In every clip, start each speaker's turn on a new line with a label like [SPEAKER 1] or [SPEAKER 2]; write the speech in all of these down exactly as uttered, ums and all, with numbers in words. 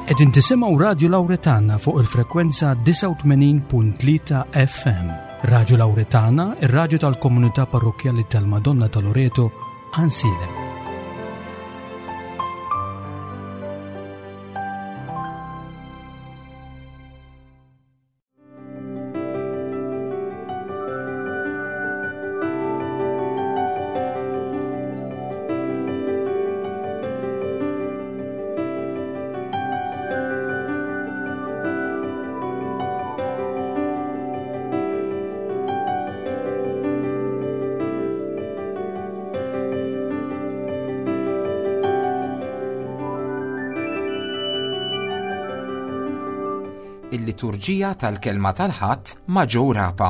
[SPEAKER 1] Qegħdin tisimgħu Radju Lawretana fuq il-frekwenza disgħa u tmenin punt tlieta F M. Radju Lawretana, ir-radju tal-Komunità Parrokkjali tal-Madonna ta' Loreto, Għajnsielem.
[SPEAKER 2] Il-liturġija tal-kelma tal-Ħadd ma' Joe Rapa.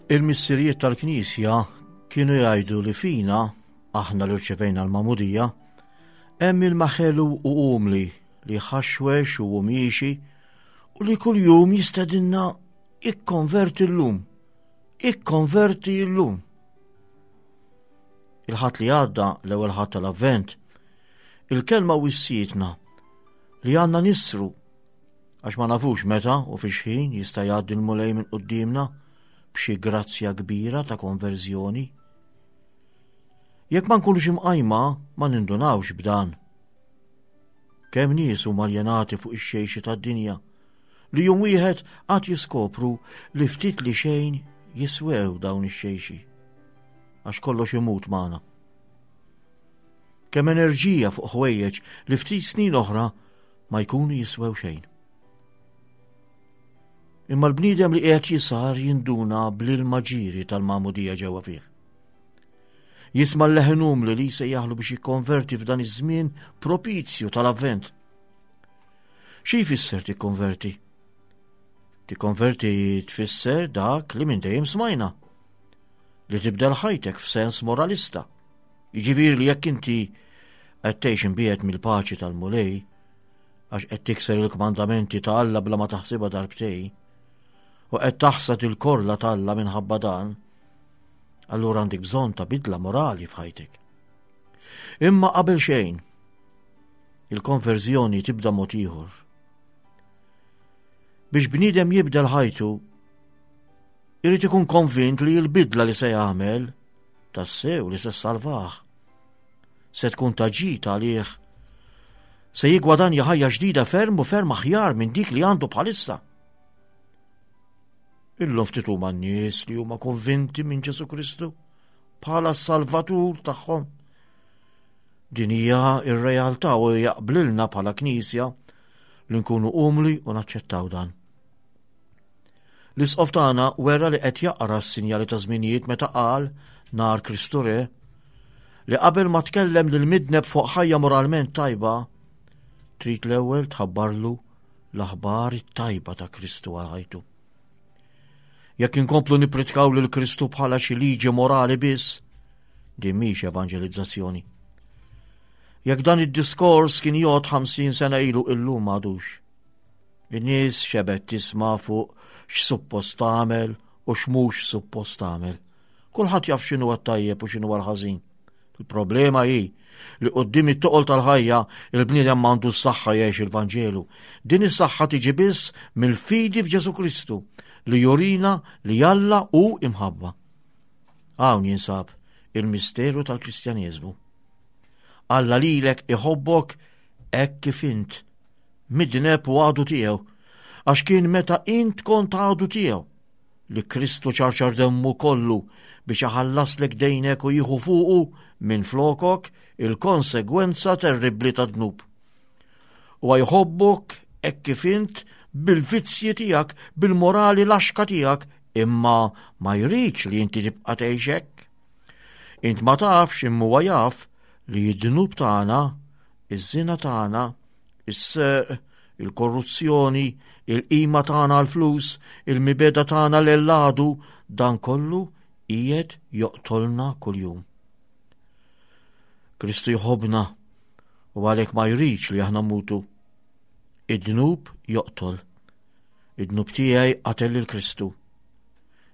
[SPEAKER 3] Il-missirijiet tal-Knisja kienu jgħidu li fina, aħna li rċevejna l-magħmudija, hemm ilma ħelu u umli li ħaxwex u miexi u li kuljum jistedinna: "Ikkonverti llum, ikkonverti llum." Il-Ħadd li għadda, l-ewwel Ħadd tal-Avvent, il-kelma wissietna li għandna nisru għax ma nafux meta u fi x'ħin jista' jgħaddi l-Mulej minn quddiemna b'xi grazzja kbira ta' konverżjoni. Jekk ma nkunux imqajma, ma nindunawx b'dan. Kemm nies huma aljenati fuq ix-xejxi tad-dinja li jum wieħed għad jiskopru li ftit li xejn jiswew dawn ix-xejxi, għax kollox imut magħna. Kemm enerġija fuq ħwejjeġ li ftit snin oħra ma jkunu jiswew xejn. Imma l-bniedem li qiegħed jisar jinduna bl-ilma ġieri tal-magħmudija ġewwa fih. Jisma' l-leħen umli li jsejjaħlu biex jikkonverti f'dan iż-żmien propizju tal-Avvent. Xi jfisser tikkonverti? Tikkonverti tfisser dak li minn dejjem smajna, li tibdel ħajtek f'sens moralista. Jiġifieri li jekk inti qed tgħix imbiegħed mill-paċi tal-Mulej, għax qed tikser il-kmandamenti ta' Alla bla ma taħsibha darbtejn, u qed taħsad il-korla ta' Alla minħabba dan, allura għandek bżonn ta' bidla morali f'ħajtek. Imma qabel xejn, il-konverżjoni tibda mod ieħor. Biex bniedem jibdel ħajtu, irid ikun konvint li l-bidla li se jagħmel tassew li se salvah, se tkun ta' ġid għalih, se jigwadanja ħajja ġdida ferm u ferm aħjar minn dik li għandu bħalissa. Illum ftit huma n-nies li huma konvinti minn Ġesu Kristu bħala s-Salvatur tagħhom. Din hija r-realtà u jaqblilna bħala Knisja li nkunu umli u naċċettaw dan. L-Isqof tagħna wera li qed jaqra s-sinjali ta' żminijiet meta qal nhar Kristu Re li qabel ma tkellem lil midneb fuq ħajja moralment tajba, trid l-ewwel tħabbarlu l-aħbar it-tajba ta' Kristu għal ħajtu. Jekk inkomplu nippritkaw lil Kristu bħala xi liġi morali biss, din mhix evanġelizzazzjoni. Jekk dan id-diskors kien jgħod ħamsin sena ilu, illum m'għadux. In-nies xebgħet tisma' fuq x'suppost tagħmel u x'mhux suppost tagħmel. Kulħadd jaf x'inhu t-tajjeb u x'inhu l-ħażin. Il-problema hi li quddiem it-toqol tal-ħajja il-bniedem m'għandu s-saħħa jgħix il-Vanġelu. Din is-saħħa tiġi biss mill-fidi f'Ġesu Kristu li jurina li Alla hu imħabba. Hawn jinsab il-misteru tal-Kristjaneżmu. Alla lilek iħobbok hekk kif int, midneb u għadu tiegħu, għax kien meta int kont għadu tiegħu li Kristu ċarċar demmu kollu biex iħallaslek dejnek u jieħu fuqu minn flokok il-konsegwenza terribbli ta' dnub. U jħobbok hekk kif int, bil-vizzji tiegħek, bil-morali laxka tiegħek, imma ma jridx li inti tibqa' tgħix hekk. Int ma tafx, imma huwa jaf li d-dnub tagħna, iż-żina tagħna, is-serq, il-korruzzjoni, il-qima tagħna għall-flus, il-mibegħda tagħna lil għadu, dan kollu qiegħed joqtolna kuljum. Kristu jħobbna u għalhekk ma jridx li aħna mmutu. Id-dnub joqtol. Id-dnub tiegħi qatel lil Kristu.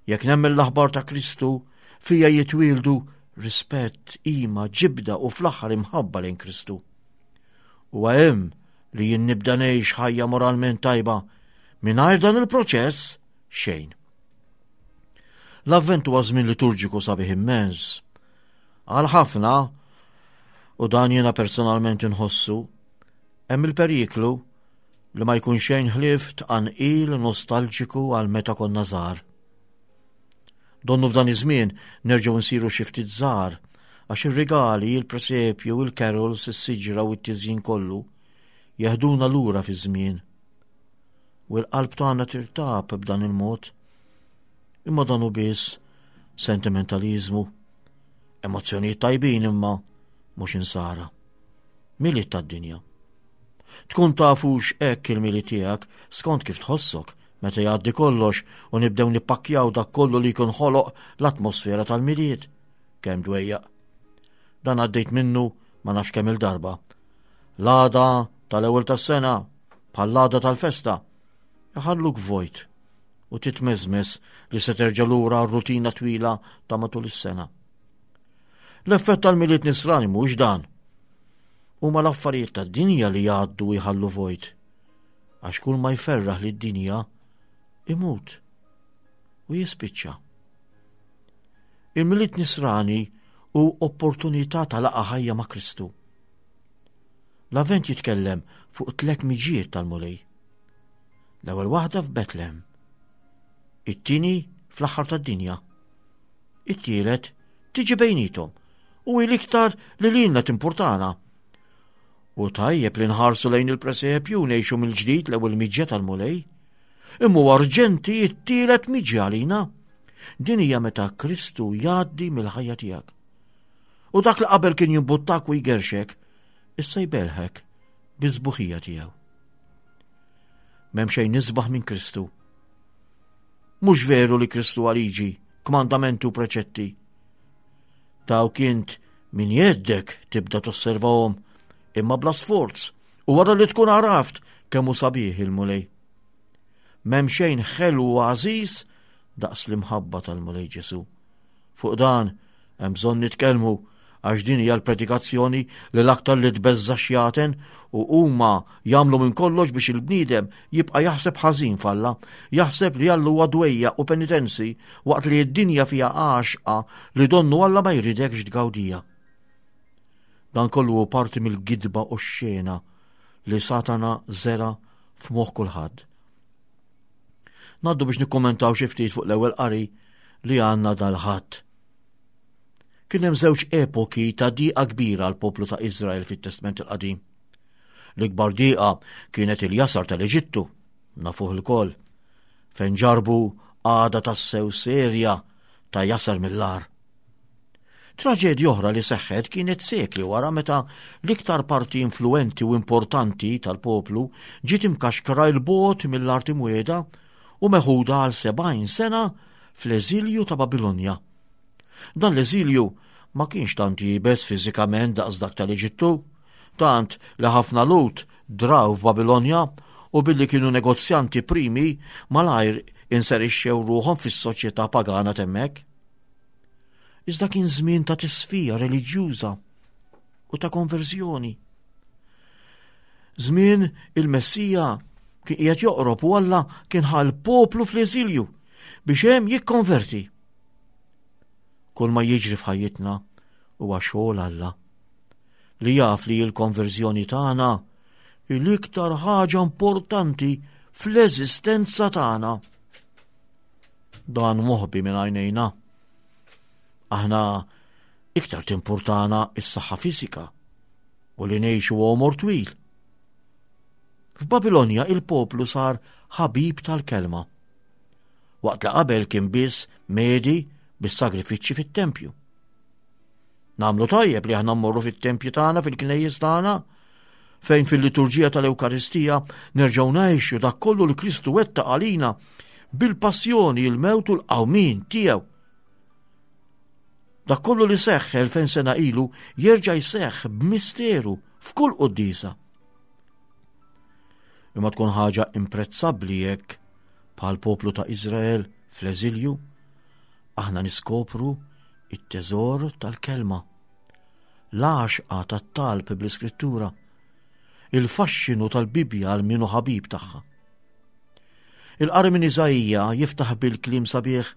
[SPEAKER 3] Jekk nemmen l-aħbar ta' Kristu, fija jitwieldu rispett, qima, ġibda u fl-aħħar imħabba lejn Kristu. U hemm li jien nibda ngħix ħajja moralment tajba, mingħajr dan il-proċess xejn. L-Avvent huwa żmien liturġiku sabiħ immens. Għal ħafna, u dan jiena personalment inħossu, hemm il-periklu li ma jkun xejn ħlief tqanqil nostalġiku għal meta konna żgħar. Donnu f'dan iż-żmien nerġgħu nsiru xi ftit żgħar għax ir-rigali, il-presepju, il-carols, is-siġra u t-tiżjin kollu jeħduna lura fi żmien. U l-qalb tagħna tirtab b'dan il-mod. Imma dan hu biss sentimentaliżmu, emozzjonijiet tajbin imma mhux insara. Milied tad-dinja. Tkun tafux hekk il-Milied tiegħek skont kif tħossok meta jgħaddi kollox u nibdew nippakkjaw dak kollu li jkun ħoloq l-atmosfera tal-Milied. Kemm dwejjaq. Dan għaddejt minnu ma nafx kemm il-darba. L-għada tal-ewwel tas-sena bħall-għada tal-festa iħalluk vojt u titmeżmes li se terġa' lura r-rutina twila ta' matul is-sena. L-effett tal-Milied nisrani mhux dan. Huma l-affarijiet tad-dinja li jgħaddu u jħallu vojt. Għax kull ma jferraħ lid-dinja imut u jispiċċa. Il-Milied nisrani hu opportunità ta' laqgħa ħajja ma' Kristu. L-Avvent jitkellem fuq tliet miġiet tal-Mulej. L-ewwel waħda f'Betlem, it-tieni fl-aħħar tad-dinja, it-tielet tiġi bejnietom u hi l-iktar li lilna timpurtana. U tajjeb li nħarsu lejn il-presepju u ngħixu mill-ġdid l-ewwel miġja tal-Mulej. Imma urġenti t-tielet miġja għalina. Din hija meta Kristu jgħaddi mill-ħajja tiegħek. U dak li qabel kien jimbuttak u jgerxek, issa jbelħek biż-sbuħija tiegħu. M'hemm xejn isbaħ minn Kristu. Mhux veru li Kristu hu liġi, kmandamenti u preċetti. Dawk int minn jeddek tibda tosservahom imma bla sforz u wara li tkun għaraft kemm hu sabiħ il-Mulej. M'hemm xejn ħelu u għażiż daqs l-imħabba tal-Mulej Ġesu. Fuq dan hemm bżonn nitkellmu għax din hija l-predikazzjoni li l-aktar li tbeżża' xjaten u huma jagħmlu minn kollox biex il-bniedem jibqa' jaħseb ħażin f'Alla, jaħseb li Alla huwa dwejjaq u penitenzi waqt li d-dinja fiha għaxqa li donnu Alla ma jridekx tgawdija. Dan kollu hu parti mill-gidba u x-xena li Satana żera f'moħħ kulħadd. Ngħaddu biex nikkommentaw xi ftit fuq l-ewwel qari li għandna dal-Ħadd. Kien hemm żewġ epoki ta' diqa kbira għal poplu ta' Izrael fit-Testment il-Qadim. L-ikbar diqa kienet il-jasar tal-Eġittu, nafuh ilkoll, fejn ġarbu għada tassew serja ta' jasar mill-agħar. Traġedja oħra li seħħet kienet sekli wara meta l-iktar parti influenti u importanti tal-poplu ġiet imkaxkra 'l bogħod mill-art imwiegħda u meħuda għal sebgħin sena fl-eżilju ta' Babilonja. Dan l-eżilju ma kienx tant iebes fiżikament daqs dak tal-Eġittu, tant li ħafna Lhud draw f'Babilonja u billi kienu negozjanti primi malajr inserixxew ruħhom fis-soċjetà pagana t'hemmhekk. Iżda kien żmien ta' tisfija reliġjuża u ta' konverżjoni. Żmien il-Messija kien qiegħed joqrob u Alla kien ħa l-poplu fl-eżilju biex hemm jikkonverti. Kull ma jiġri f'ħajjitna huwa xogħol Alla li jaf li l-konverżjoni tagħna hi l-iktar ħaġa importanti fl-eżistenza tagħna. Dan moħbi minn għajnejna. Aħna iktar timpurtana s-saħħa fiżika u li ngħixu għomor twil. F'Babilonja il-poplu sar ħabib tal-kelma, waqt li qabel kien biss medi bis-sagrifiċċji fit-tempju. Nagħmlu tajjeb li aħna mmorru fit-tempju tagħna, fil-knejjes tagħna, fejn fil-liturġija tal-Ewkaristija nerġgħu ngħixu dak kollu li Kristu wettaq għalina bil-passjoni, il-mewt u l-qawmien tiegħu. Dak kollu li seħħ elfejn sena ilu jerġa' jseħħ b'misteru f'kull quddiesa. Imma tkun ħaġa imprezzabbli jekk bħal poplu ta' Iżrael fl-eżilju aħna niskopru it-teżor tal-kelma, l-għaxqa tat-talb bl-Iskrittura, il-faxxinu tal-Bibbja għal min hu ħabib tagħha. Il-qari minn Iżaija jiftaħ bil-kliem sabiħ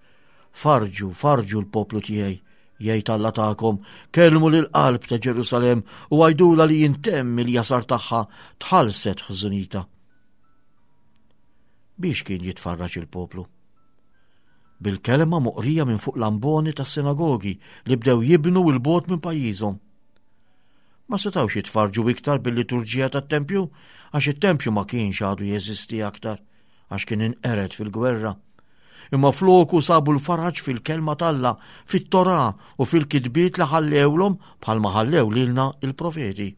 [SPEAKER 3] farġu, farġu l-poplu tiegħi, jgħid Alla tagħkom, kellmu lil qalb ta' Ġerusalemm u għidulha li jintemm il-jasar tagħha tħallset ħżunitha. Biex kien jitfarraġ il-poplu? Bil-kelma moqrija minn fuq l-amboni tas-sinagogi li bdew jibnu 'l bogħod minn pajjiżhom. Ma setawx jitfarġu iktar bil-liturġija tat-tempju għax it-tempju ma kienx għadu jeżisti aktar għax kien inqered fil-gwerra. Imma floku sabu l-faraġ fil-kelma t'Alla, fit-Torah u fil-kitbiet li ħallewlhom bħalma ħallew lilna il-profeti.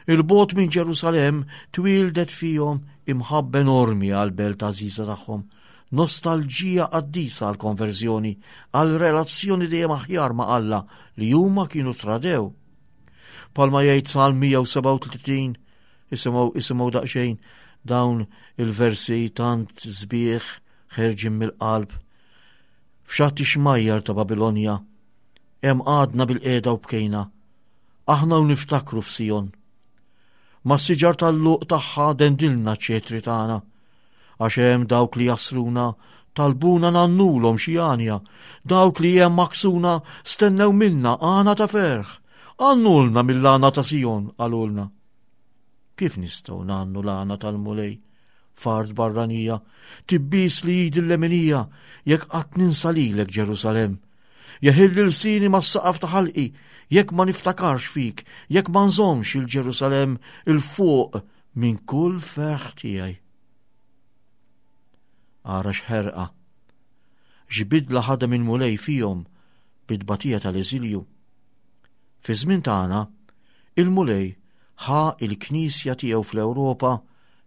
[SPEAKER 3] 'Il bogħod minn Ġerusalemm twieldet fihom imħabba enormi għal-belt għażiża tagħhom, nostalġija qaddisa għal konverżjoni, għal relazzjoni dejjem aħjar ma' Alla li huma kienu tradew. Bħalma jgħid Salm mija u sebgħa u tletin, isimgħu isimgħu daqsxejn dawn il-versi tant sbieħ ħerġin mill-qalb. F'xatt ix-xmajjar ta' Babilonja, hemm għadna bil-qiegħda u bkejna, aħna u niftakru f'Sijon. Ma' siġar tal-luq tagħha dendilna ċetri tagħna, għax hemm dawk li jasruna talbuna ngħannulhom xi għanja, dawk li hemm maksuna stennew minna għana ta' ferħ, għannulna mill-għana ta' Sijon, qalulna. Kif nistgħu ngħannu l-għana tal-Mulej? F'art barranija, tibbis li jid il-leminija, jekk qatt ninsa lilek Ġerusalemm. Jeħil lsini mas-saqaf ta' ħalqi, jekk ma niftakarx fik, jekk ma nżommx il-Ġerusalemm il fuq minn kull ferħ tiegħi. Ara x'ħerqa, x'bidla ħadem il-Mulej fihom bit-tbatija tal-eżilju. Fi żmien tagħna, il-Mulej ħa il-Knisja tiegħu fl-Ewropa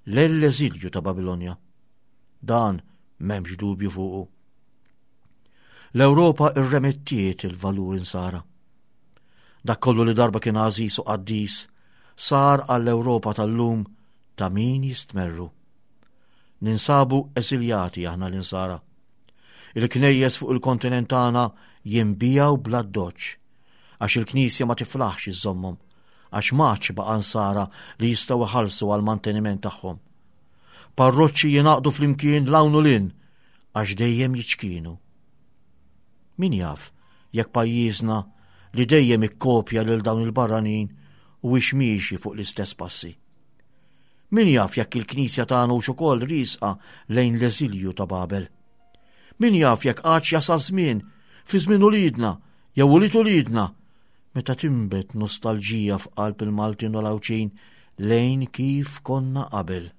[SPEAKER 3] l-eżilju ta' Babilonja. Dan m'hemmx dubju fuqu. L-Ewropa irremettiet il-valur insara. Dak kollu li darba kien għażiż u qaddis sar għall-Ewropa tal-lum ta' min jistmerru. Ninsabu eżiljati aħna l-insara. Il-knejjes fuq il-kontinent tagħna jinbiegħu bla doċ, għax il-Knisja ma tiflaħx iżommhom, għax m'għadx baqa' nsara li jistgħu iħallsu għal manteniment tagħhom. Parroċċi jingħaqdu flimkien 'l hawn u 'l hinn għax dejjem jiċkienu. Min jaf jekk pajjiżna li dejjem ikkopja lil dawn il-barranin u miexi fuq l-istess passi. Min jaf jekk il-Knisja tagħna hux ukoll riesqa lejn l-eżilju ta' Babel. Min jaf jekk għadx jasal żmien fi żmien uliedna jew ulied uliedna meta tinbet nostalġija f'qalb il-Maltin u l-Għawdxin lejn kif konna qabel.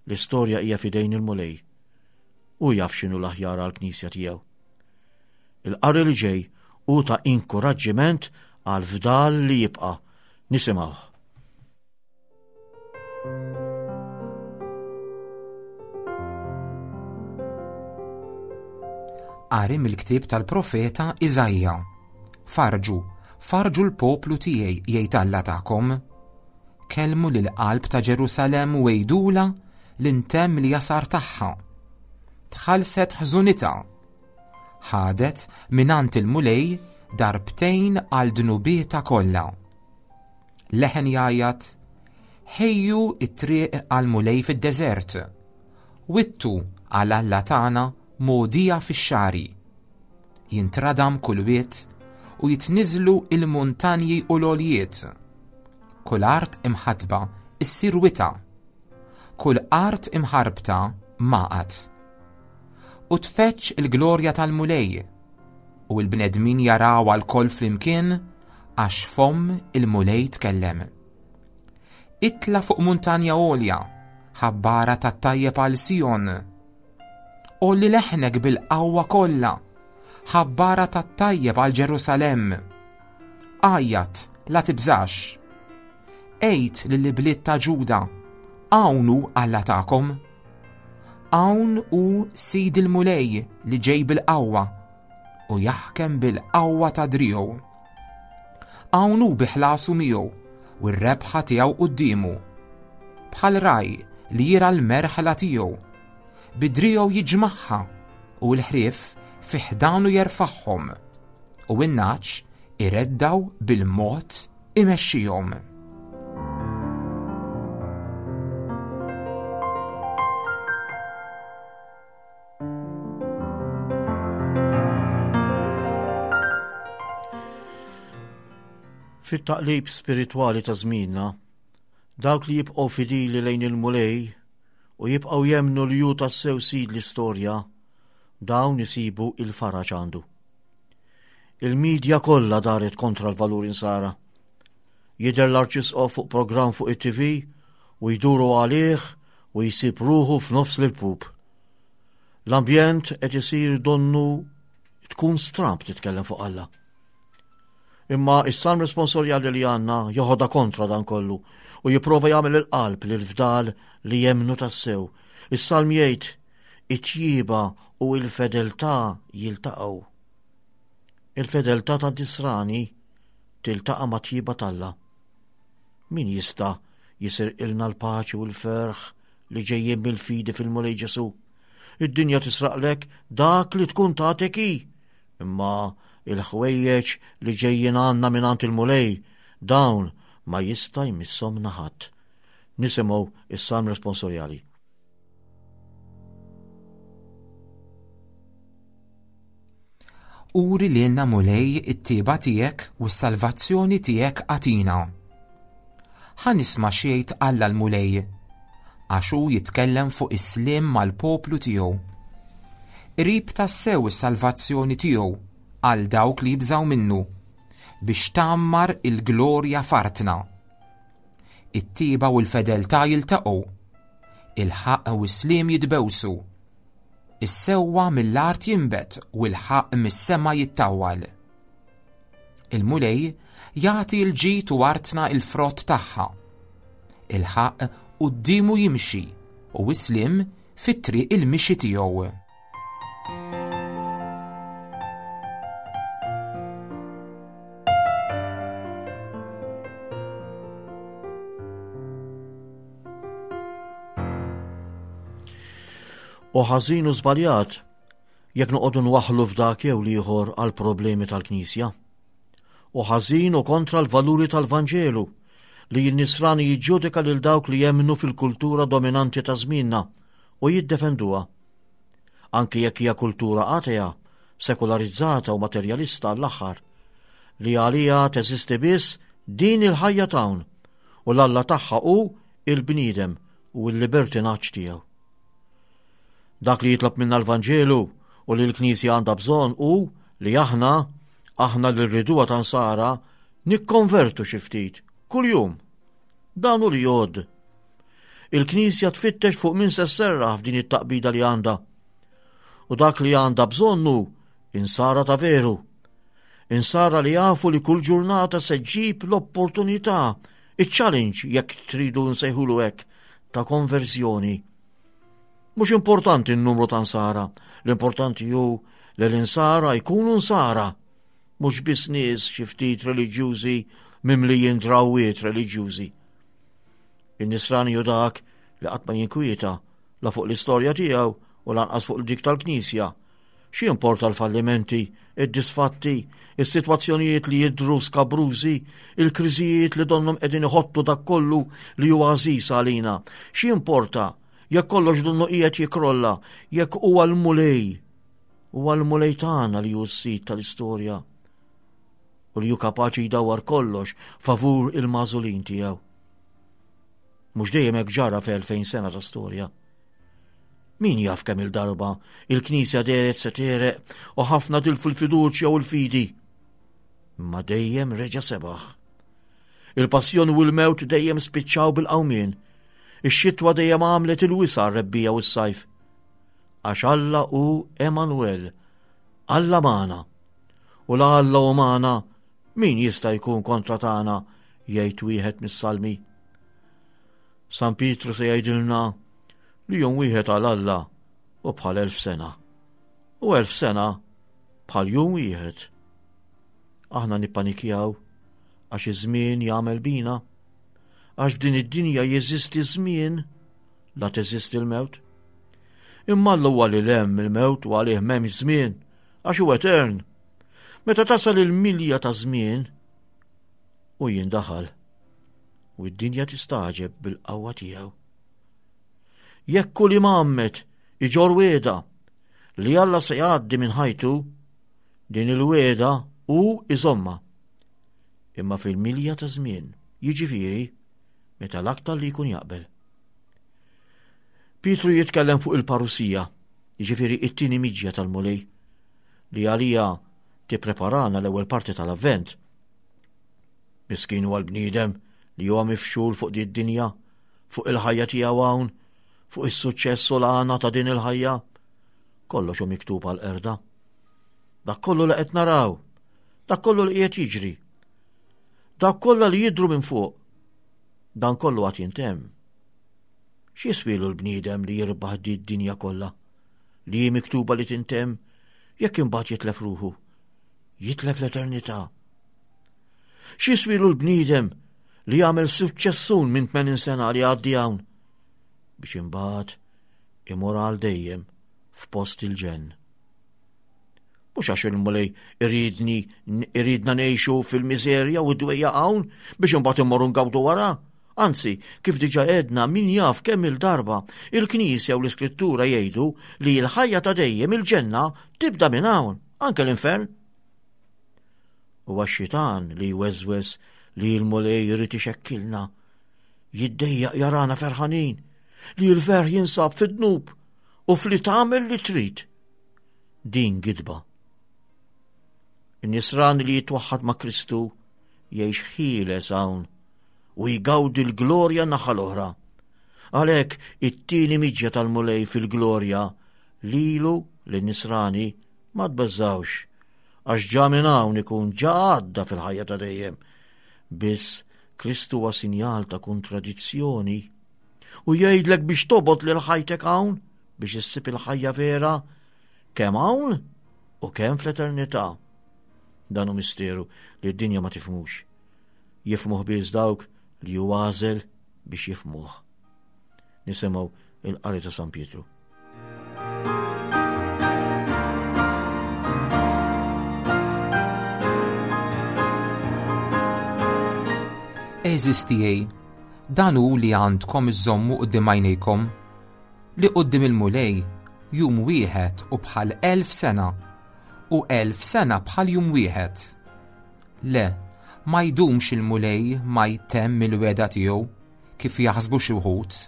[SPEAKER 3] L-istorja hija f'idejn il-Mulej u jaf x'inhu l-aħjar għall-Knisja tiegħu. Il-qari li ġej hu ta' inkoraġġiment għal fdal li jibqa'. Nisimgħuh.
[SPEAKER 2] Qari mill-ktieb tal-profeta Iżaija. Farġu, farġu l-poplu tiegħi, jgħid Alla tagħkom. Kellmu lil qalb ta' Ġerusalemm u għidulha li ntemm li jasar tagħha. Tħallset ħżunitha. Ħadet mingħand il-Mulej darbtejn għal dnubietha kollha. Leħen jgħajjat, ħejju it-triq għal Mulej fid-deżert. Wittu għal Alla tagħna mogħdija fix-xagħri. Jintradam kull wied u jitniżlu il-muntanji u l-għoljiet. Kull art imħatba issir wita. Kull art imħarbta maqat. U tfeċċ il-glorja tal-Mulej u l-bnedmin jaraw għal flimkien għax fomm il-Mulej tkellem. Itla fuq muntanja għolja, ħabbara tat-tajjeb għal Sion. Għolli leħnek bil-qawwa kollha, ħabbara tat-tajjeb għal Ġerusalemm. Għajjat, la tibżax. Għid lill-ibliet ta' Ġuda, hawn hu Alla tagħkom. Hawn hu Sid il-Mulej li ġej bil-qawwa. u jaħkem bil-qawwa ta' driegħu. Hawn hu bi ħlasu miegħu u r-rebħa tiegħu quddiemu. Bħal ragħaj li jirgħa l-merħla tiegħu. Bi driegħu jiġmagħha u l-ħrief fi ħdanu jerfagħhom u n-nagħaġ ireddgħu bil-mod imexxihom.
[SPEAKER 3] Fit-taqlib spiritwali ta' żmienna, dawk li jibqgħu fidili lejn il-Mulej u jibqgħu jemmnu li hu tassew sid l-istorja, dawn isibu il-faraġ għandu. Il-medja kollha daret kontra l-valur insara. Jidher l-arċisqof fuq programm fuq it-T V u jduru għalih u jsib ruħu f'nofs l-ilpup. L-ambjent qed isir donnu tkun stramp titkellem fuq Alla. Imma is-salm responsorjali li għandna joħodha kontra dan kollu u jipprova jagħmel il-qalb lil fdal li jemmnu tassew. Is-salm jgħid it-tjieba u il-fedeltà jiltaqgħu. Il-fedeltà tan-nisrani tiltaqa' mat-tjieba t'Alla. Min jista' jisirqilna l-paċi u l-ferħ li ġejjin mill-fidi fil-Mulej Ġesu? Id-dinja tisraqlek dak li tkun tatek hi, imma il-ħwejjeġ li ġejjin għandna mingħand il-Mulej dawn ma jista' jmisshom ħadd. Nisimgħu is-salm responsorjali.
[SPEAKER 2] Uri lilna Mulej it-tjieba tiegħek u s-salvazzjoni tiegħek agħtina. Ħa nisma' x'jgħid Alla l-Mulej, għax hu jitkellem fuq is-sliem mal-poplu tiegħu. Qrib tassew is-salvazzjoni tiegħu għal dawk li jibżgħu minnu, biex tgħammar il-glorja f'artna. It-tjieba u l-fedeltà jiltaqgħu, il-ħaqq u s-sliem jitbewsu. Is-sewwa mill-art jinbet u l-ħaqq mis-sema jittawwal. Il-Mulej jagħti l-ġid u artna il-frott tagħha. Il-ħaqq quddiemu jimxi u s-sliem fit-triq il-mixi tiegħu.
[SPEAKER 3] U ħażin u żbaljat jekk noqogħdu nwaħħlu f'dak jew l-ieħor għal problemi tal-Knisja. U ħażin u kontra l-valuri tal-Vanġelu li n-nisrani jiġġudika lil dawk li jemmnu fil-kultura dominanti ta' żmienna u jiddefenduha. Anki jekk hija kultura atea, sekularizzata u materjalista għall-aħħar, li għalija teżisti biss din il-ħajja t'hawn u l-Alla tagħha hu il-bniedem u l-libertinaġġ tiegħu. Dak li jitlob minna l-Vanġelu u li l-Knisja għandha bżonn hu li aħna, aħna li rriduha ta' nsara, nikkonvertu xi ftit kuljum. Dan hu li jgħodd. Il-Knisja tfittex fuq min se sserraħ f'din it-taqbida li għandha. U dak li għandha bżonn hu insara ta' veru. Insara li jafu li kull ġurnata se ġġib l-opportunità, iċ-challenge jekk tridu nsejħulu hekk, ta' konverżjoni. Mhux importanti n-numru ta' nsara, l-importanti hu li l-insara jkunu nsara, mhux biss nies xi ftit reliġjużi mimlijin drawwiet reliġjużi. In-nisrani hu dak li qatt ma jinkwieta la fuq l-istorja tiegħu u lanqas fuq dik tal-Knisja. Xi importa l-fallimenti, id-disfatti, is-sitwazzjonijiet li jidhru skabrużi, il-kriżijiet li donnhom qegħdin iħottu dak kollu li huwa għażiż għalina. Xi importa jekk kollox donnu qiegħed jikrolla, jekk huwa l-Mulej, huwa l-Mulej tagħna li hu s-sid tal-istorja u li hu kapaċi jdawwar kollox favur il-magħżulin tiegħu. Mhux dejjem hekk ġara f'elfejn sena ta' storja. Min jaf kemm il-darba il-Knisja dehret se tegħreq u ħafna tilfu l-fiduċja u l-fidi. Imma dejjem reġa' sebaħ. Il-passjoni u l-mewt dejjem spiċċaw bil-qawmien. Ix-xitwa dejjem għamlet il-wisa' r-rebbiegħa u s-sajf. Għax Alla hu Emanuel, Alla magħna. U la Alla hu magħna, min jista' jkun kontra tagħna, jgħid wieħed mis-salmi. San Pietru se jgħidilna li jum wieħed għal Alla u bħal elf sena. U elf sena bħal jum wieħed. Aħna nippanikjaw għax iż-żmien jagħmel bina, għax f'din id-dinja jeżisti żmien la teżisti l-mewt. Imma Alla huwa lil hemm il-mewt u għalih m'hemmx żmien, għax hu etern. Meta tasal il-milja ta' żmien u jindaħal u d-dinja tistagħġeb bil-qawwa tiegħu. Jekk kull imgħammed iġorr wegħda li Alla se jgħaddi minn ħajtu, din il-wegħda hu iżommha. Imma fil-milja ta' żmien, jiġifieri meta l-aktar li jkun jaqbel. Pietru jitkellem fuq il-parusija, jiġifieri it-tieni miġja tal-Mulej, li għalija tippreparana l-ewwel parti tal-Avvent. Miskin huwa l-bniedem li huwa mifxul fuq di d-dinja, fuq il-ħajja tiegħu hawn, fuq is-suċċess u l-għana ta' din il-ħajja. Kollox hu miktub għal-qerda. Dak kollu li qed naraw, dak kollu li qiegħed jiġri, dak kollha li jidhru minn fuq, dan kollu għad jintemm. X'jiswilu l-bniedem li jirbaħ di d-dinja kollha, li hi miktuba li tintemm, jekk imbagħad jitlef ruħu, jitlef l-eternità. X'jiswilu l-bniedem li jagħmel suċċessun minn tmenin sena li għaddi hawn, biex imbagħad imur għal dejjem f'post il-ġenn. Mhux għax il-Mulej iridni iridna ngħixu fil-miżerja u d-dwejja hawn biex imbagħad immorru ngawdu wara. Anzi, kif diġà għedna min jaf kemm il-darba il-Knisja u l-Iskrittura jgħidu li l-ħajja ta' dejjem il-ġenna tibda minn hawn, anke l-infern. Huwa x-xitan li jweżweż li l-Mulej irid ixekkilna, jiddejjaq jarana ferħanin, li l-ferħ jinsab fid-dnub u fli tagħmel li trid. Din gidba. In-nisran li jitwaħħad ma' Kristu jgħix ħieles hawn u jgawdi l-glorja naħa l-oħra. Għalhekk it-tieni miġja tal-Mulej fil-glorja lilu lin-nisrani ma tbeżżawx, għax ġa minn hawn ikun ġa għadda fil-ħajja ta' dejjem. Biss Kristu huwa sinjal ta' kontradizzjoni u jgħidlek biex tobgħod lil ħajtek hawn biex issib il-ħajja vera kemm hawn u kemm fl-eternità. Dan hu misteru li d-dinja ma tifhmux. Jifhmuh biss dawk li hu għażel biex jifhmuh. Nisimgħu il-qari ta' San Pietru.
[SPEAKER 2] Għeżież tiegħi, dan hu li għandkom iżommu quddiem għajnejkom, li quddiem il-Mulej jum wieħed u bħal elf sena, u elf sena bħal jum wieħed. Le, ma jdumx il-Mulej ma jtemm il-wegħda tiegħu kif jaħsbu xi wħud.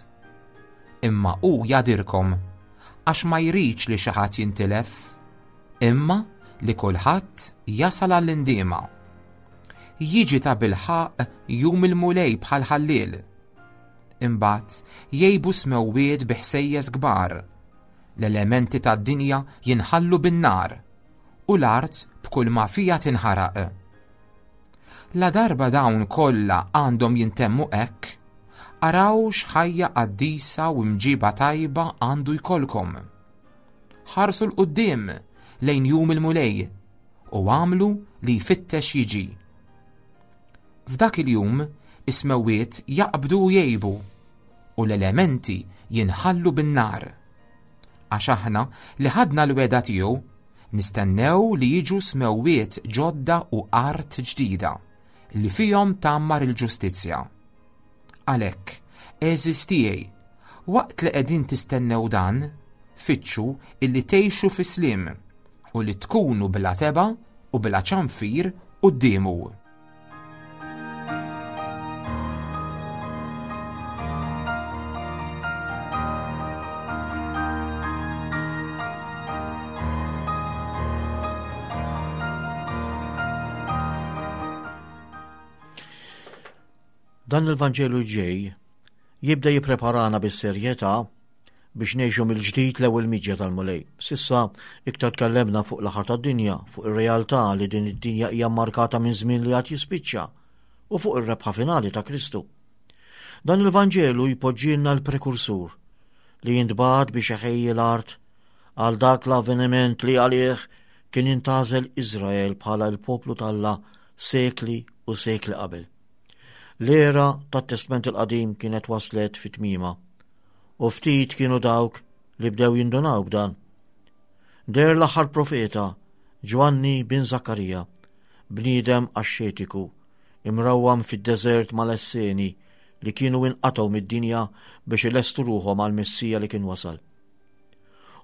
[SPEAKER 2] Imma hu jadirkom għax ma jridx li xi ħadd jintilef, imma li kulħadd jasal għall-indiema. Jiġi ta' bilħaq jum il-Mulej bħal ħalliel. Imbagħad jgħibu smewwiet bi ħsejjes kbar. L-elementi tad-dinja jinħallu bin-nar u l-art b'kull ma fija tinħaraq. La darba dawn kollha għandhom jintemmu hekk, araw x'ħajja qaddisa u mġiba tajba għandu jkollkom. Ħarsu 'l quddiem lejn jum il-Mulej u għamlu li jfittex jiġi. F'dak il-jum is-smewwiet jaqbdu u jgħibu u l-elementi jinħallu bin-nar. Għax aħna li ħadna l-wegħda tiegħu nistennew li jiġu smewwiet ġodda u art ġdida li fihom tgħammar il-ġustizzja. Għalhekk, għeżież tiegħi, waqt li qegħdin tistennew dan, fittxu illi tgħixu fi sliem u li tkunu bla tebgħa u bla ċanfir quddiemu.
[SPEAKER 3] Dan il-Vanġelu ġej jibda jippreparana bis-serjetà biex ngħixu mill-ġdid l-ewwel miġja tal-Mulej. Sissa iktar tkellemna fuq l-aħħar tad-dinja, fuq ir-realtà li din id-dinja hija mmarkata minn żmien li għad jispiċċa u fuq ir-rebħa finali ta' Kristu. Dan il-Vanġelu jpoġġilna l-prekursur li jintbagħat biex iħejji l-art għal dak l-avveniment li għalih Kien intgħażel Iżrael bħala l-poplu t'Alla sekli u sekli qabel. L-era tat-Testment il-Qadim kienet waslet fi tmiemha, u ftit kienu dawk li bdew jindunaw b'dan. Deher l-aħħar profeta, Ġwanni bin Zakkarija, bniedem axxetiku, imrawwam fid-deżert mal-Esseni li kienu inqatgħu mid-dinja biex ilestu ruħhom għall-Messija li kien wasal.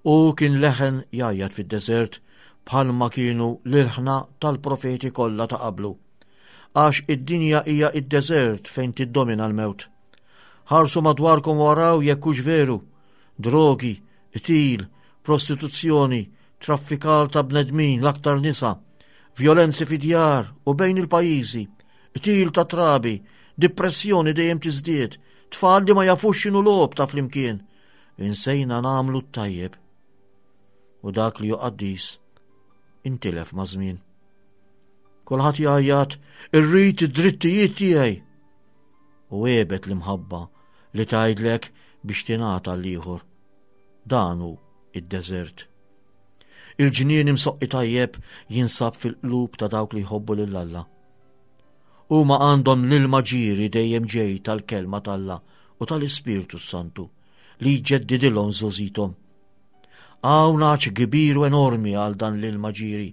[SPEAKER 3] U kien leħen jgħajjat fid-deżert bħalma kienu l-ilħna tal-profeti kollha ta' qablu. Għax id-dinja hija id-deżert fejn tiddomina l-mewt. Ħarsu madwarkom waraw jekk hux veru. Drogi, qtil, prostituzzjoni, traffikar ta' bnedmin l-aktar nisa, vjolenzi fid-djar u bejn il-pajjiżi, qtil ta' trabi, depressjoni dejjem tiżdied, tfal li ma jafux x'inhu logħob ta' flimkien. Insejna nagħmlu t-tajjeb. U dak li hu qaddis intilef ma' żmien. Kulħadd jgħajjat, irrid id-drittijiet tiegħi. U għebet l-imħabba li tgħidlek biex tingħata l-ieħor. Dan hu id-deżert. Il-ġnien imsoqqi tajjeb jinsab fil-qlub ta' dawk li jħobbu lil Alla. Huma għandhom l-ilma ġieri dejjem ġej tal-kelma t'Alla u tal-Ispirtu Santu li jġeddidilhom żgħożithom. Hawn għatx kbir u enormi għal dan l-ilma ġieri,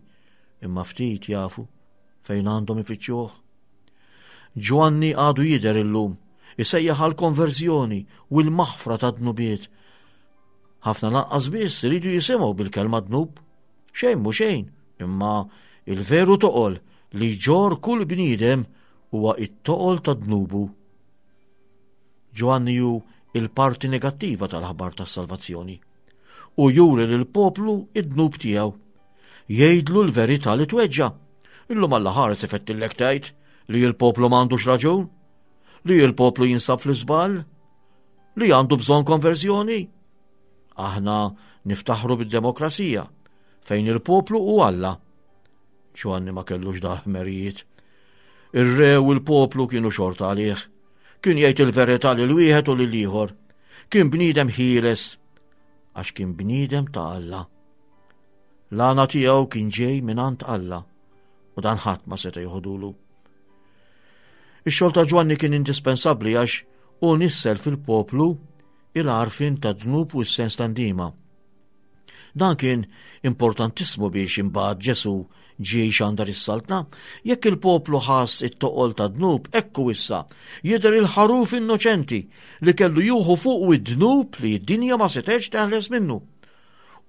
[SPEAKER 3] imma ftit jafu fejn għandhom ifittxuh. Ġwanni għadu jidher illum, isejjaħ għal konverżjoni u l-maħfra ta' dnubiet. Ħafna lanqas biss iridu jisimgħu bil-kelma dnub. Xejn mhu xejn, imma il-veru toqol li jġorr kull bniedem huwa it-toqol ta' dnubu. Ġwanni hu il-parti negattiva tal-aħbar tas-salvazzjoni. U juri lill-poplu id-dnub tiegħu. Jgħidlu l-verità li tweġġa'. Illum Alla ħares ifettillek tgħid li l-poplu m'għandux raġun, li l-poplu jinsab fl-iżball, li għandu bżonn konverżjoni. Aħna niftaħru bid-demokrazija fejn il-poplu hu Alla. Ġwanni ma kellux dal-ħmerijiet. Ir-re u l-poplu kienu xorta għalih. Kien jgħid il-verità lil wieħed u lil ieħor. Kien bniedem ħieles għax kien bniedem ta' Alla. L-għana tiegħu kien ġej mingħand Alla u dan ħadd ma seta' joħodulu. Ix-xogħol ta' Ġwanni kien indispensabbli għax hu nissel fil-poplu il-għarfien ta' dnub u s-sens ta' ndima. Dan kien importantissimu biex imbagħad Ġesu ġie jxandar is-saltna. Jekk il-poplu ħass it-toqol ta' dnub, ekku issa jidher il-ħaruf innoċenti li kellu juħu fuq id-dnub li d-dinja ma setgħetx teħles minnu.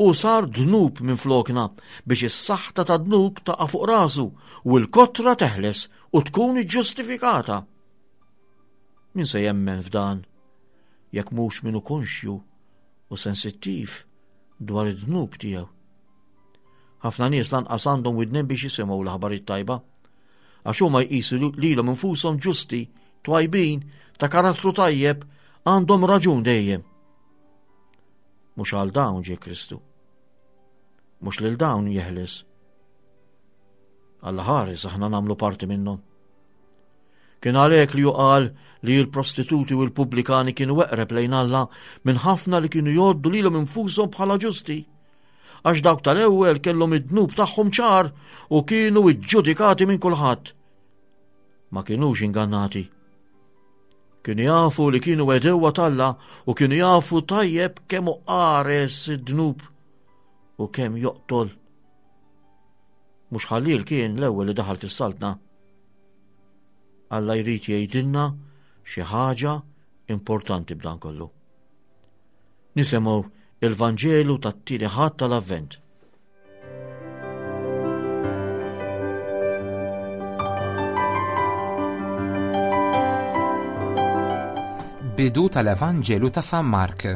[SPEAKER 3] U sar dnub minn flokna biex is-saħta ta' dnub taqa' fuq rasu u l-kotra teħles u tkun iġġustifikata. Min se jemmen f'dan jekk mhux minnu konxju u sensittiv dwar id-dnub tiegħu? Ħafna nies lanqas għandhom widnejn biex jisimgħu l-aħbarijiet tajba, għax huma jqisu lilhom infushom ġusti, twajbin, ta' karattru tajjeb, għandhom raġun dejjem. Mhux għal dawn ġie Kristu. Mhux lil dawn jeħles. Alla ħares aħna nagħmlu parti minnhom. Kien għalhekk li juqal li l-prostituti u l-pubblikani kienu eqreb lejn Alla minn ħafna li kienu jgħoddu lilhom infushom bħala ġusti. Għax dawk tal-ewwel kellhom id-dnub tagħhom ċar u kienu iġġudikati minn kulħadd. Ma kinux ingannati. Kienu jafu li kienu għedewwa t'Alla u kienu jafu tajjeb kemm hu qares id-dnub u kemm joqtol. Mhux ħalliel kien l-ewwel li daħal fis-saltna. Alla jrid jgħidilna xi ħaġa importanti b'dan kollu. Nisimgħu il-Vanġelu tat-tieni Ħadd tal-Avvent.
[SPEAKER 2] Bidu tal-Evanġelu ta' San Mark.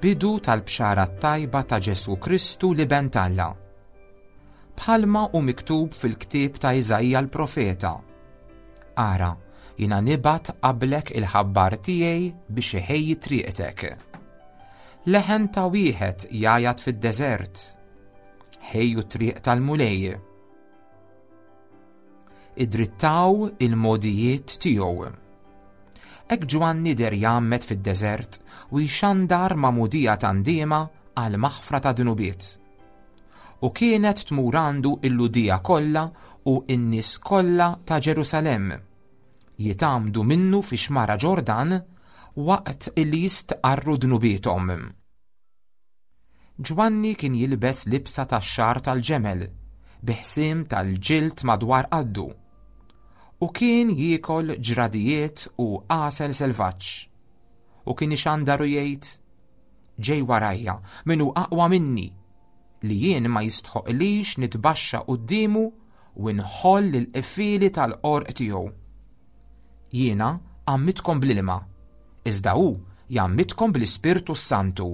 [SPEAKER 2] Bidu tal-bxara tajba ta' Ġesu Kristu l-Iben t'Alla. Bħalma hu miktub fil-ktieb ta' Iżaija l-profeta. Ara, jiena nibgħat qablek il-ħabbar tiegħi biex iħejji triqtek. Leħen ta' wieħed jgħajjat fid-deżert. Ħejju triq tal-Mulej. Idrittaw il-modijiet tiegħu. Hekk Ġwanni der jgħammed fid-deżert u jxandar magħmudija ta' ndiema għal maħfra ta' dnubiet. U kienet tmur għandu il-Lhudija kollha u n-nies kollha ta' Ġerusalemm. Jitgħammdu minnu fi xmara Ġordan waqt illi jistqarru dnubiethom. Ġwanni kien jilbes libsa tax-xagħar tal-ġemel, bi ħsiem tal-ġild madwar qaddu. U kien jiekol ġradijiet u għasel selvaġġ. U kien ixandar u jgħid, ġej warajja, min hu aqwa minni, li jien ma jistħoqlix nitbaxxa quddiemu u nħoll il-qfieli tal-qorq tiegħu. Jiena għammidtkom bl-ilma, iżda hu jgħammidkom bl-Ispirtu Santu.